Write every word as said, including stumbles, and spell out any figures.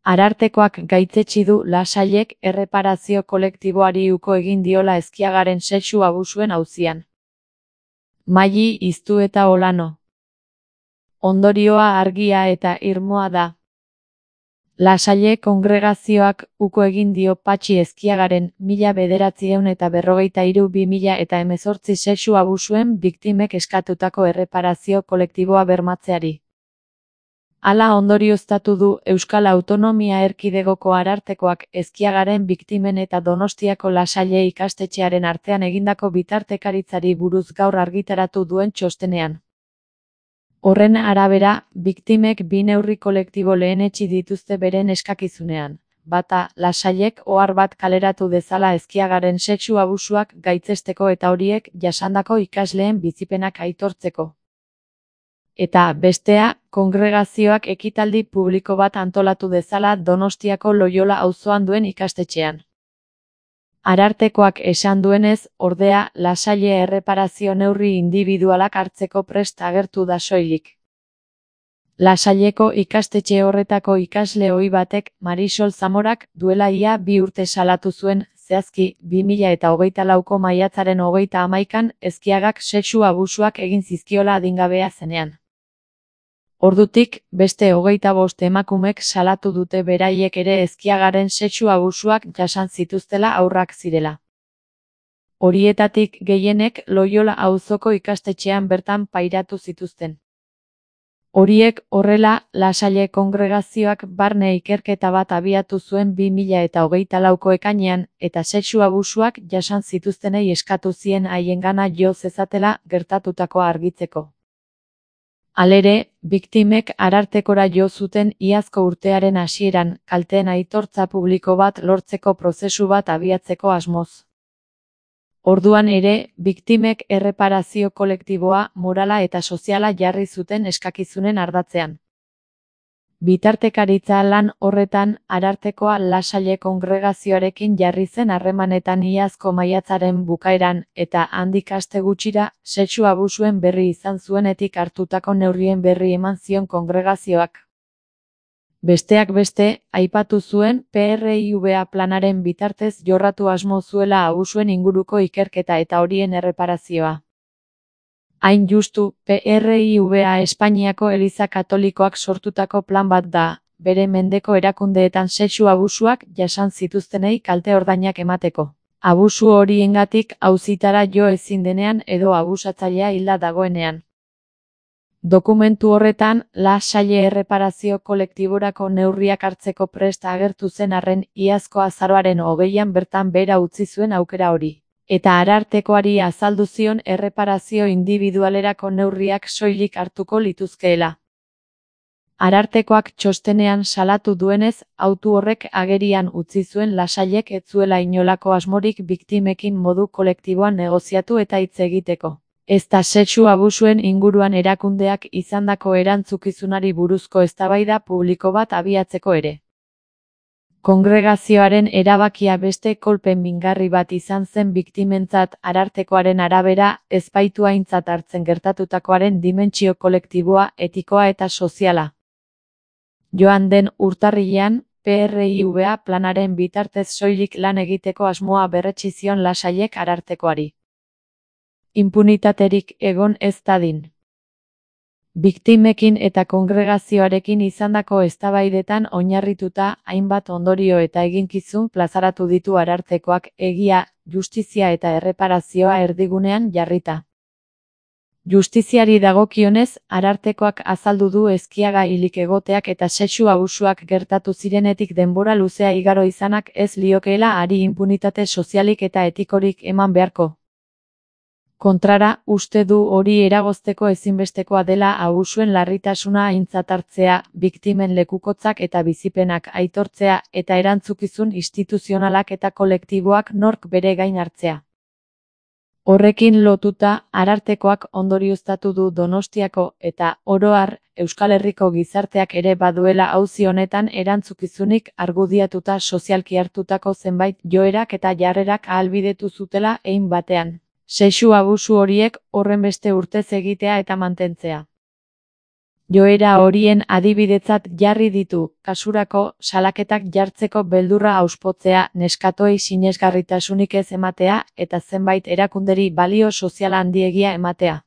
Arartekoak gaitzetsi du Lasailek erreparazio kolektiboari uko egin diola Ezkiagaren sexu abusuen auzian. Maili Iztueta Olano. Ondorioa argia eta irmoa da. Lasaile kongregazioak uko egin dio Patxi Ezkiagaren mila bederatziehun eta berrogeita hiru bi mila eta hemezortzi sexu abusuen biktimek eskatutako erreparazio kolektiboa bermatzeari. Hala ondorioztatu du Euskal Autonomia Erkidegoko Arartekoak Ezkiagaren biktimen eta Donostiako Lasaile ikastetxearen artean egindako bitartekaritzari buruz gaur argitaratu duen txostenean. Horren arabera, biktimek bi neurri kolektibo lehenetsi dituzte beren eskakizunean. Bata, Lasailek ohar bat kaleratu dezala Ezkiagaren sexu abusuak gaitzesteko eta horiek jasandako ikasleen bizipenak aitortzeko. Eta, bestea, kongregazioak ekitaldi publiko bat antolatu dezala Donostiako Loiola auzoan duen ikastetxean. Arartekoak esan duenez, ordea, Lasaile erreparazio neurri indibidualak hartzeko prest agertu da soilik. Lasaileko ikastetxe horretako ikasle ohi batek, Marisol Zamorak, duela ia bi urte salatu zuen, zehazki, bi mila eta hogeita lauko maiatzaren hogeita hamaikan, Ezkiagak sexu abusuak egin zizkiola adingabea zenean. Ordutik, beste hogeita bost emakumek salatu dute beraiek ere Ezkiagaren sexu abusuak jasan zituztela haurrak zirela. Horietatik gehienek Loiola auzoko ikastetxean bertan pairatu zituzten. Horiek horrela, Lasaile kongregazioak barne ikerketa bat abiatu zuen bi mila eta hogeita lauko ekainean, eta sexu abusuak jasan zituztenei eskatu zien haiengana jo zezatela gertatutakoa argitzeko. Halere, biktimek Arartekora jo zuten iazko urtearen hasieran, kalteen aitortza publiko bat lortzeko prozesu bat abiatzeko asmoz. Orduan ere, biktimek erreparazio kolektiboa, morala eta soziala jarri zuten eskakizunen ardatzean. Bitartekaritza lan horretan, Arartekoa Lasaile kongregazioarekin jarri zen harremanetan iazko maiatzaren bukaeran, eta handik aste gutxira, sexu abusuen berri izan zuenetik hartutako neurrien berri eman zion kongregazioak. Besteak beste, aipatu zuen P R I V A planaren bitartez jorratu asmo zuela abusuen inguruko ikerketa eta horien erreparazioa. Hain justu, P R I V A Espainiako Eliza Katolikoak sortutako plan bat da, bere mendeko erakundeetan sexu abusuak jasan zituztenei kalte ordainak emateko. Abusu horiengatik auzitara jo ezin denean edo abusatzailea hilda dagoenean. Dokumentu horretan, Lasaile erreparazio kolektiborako neurriak hartzeko prest agertu zen arren iazko azaroaren hogeian bertan behera utzi zuen aukera hori. Eta Arartekoari azaldu zion erreparazio indibidualerako neurriak soilik hartuko lituzkeela. Arartekoak txostenean salatu duenez, autu horrek agerian utzi zuen Lasailek ez zuela inolako asmorik biktimekin modu kolektiboan negoziatu eta hitz egiteko. Ezta sexu abusuen inguruan erakundeak izandako erantzukizunari buruzko eztabaida publiko bat abiatzeko ere. Kongregazioaren erabakia beste kolpe mingarri bat izan zen biktimentzat. Arartekoaren arabera, ez baitu aintzat hartzen gertatutakoaren dimentsio kolektiboa, etikoa eta soziala. Joan den urtarrilean, P R I V A planaren bitartez soilik lan egiteko asmoa berretsi zion Lasailek Arartekoari. Impunitaterik egon ez dadin. Biktimekin eta kongregazioarekin izandako eztabaidetan oinarrituta hainbat ondorio eta eginkizun plazaratu ditu Arartekoak, egia, justizia eta erreparazioa erdigunean jarrita. Justiziari dagokionez, Arartekoak azaldu du Ezkiaga hilik egoteak eta sexu abusuak gertatu zirenetik denbora luzea igaro izanak ez liokeela hari impunitate sozialik eta etikorik eman beharko. Kontrara, uste du hori eragozteko ezinbestekoa dela abusuen larritasuna aintzat hartzea, biktimen lekukotzak eta bizipenak aitortzea, eta erantzukizun instituzionalak eta kolektiboak nork bere gain hartzea. Horrekin lotuta, Arartekoak ondorioztatu du Donostiako eta, oro har, Euskal Herriko gizarteak ere baduela auzi honetan erantzukizunik argudiatuta sozialki hartutako zenbait joerak eta jarrerak ahalbidetu zutela hein batean. Sexu abusu horiek horrenbeste urtez egitea eta mantentzea. Joera horien adibidetzat jarri ditu, kasurako, salaketak jartzeko beldurra auspotzea, neskatoei sinesgarritasunik ez ematea, eta zenbait erakunderi balio sozial handiegia ematea.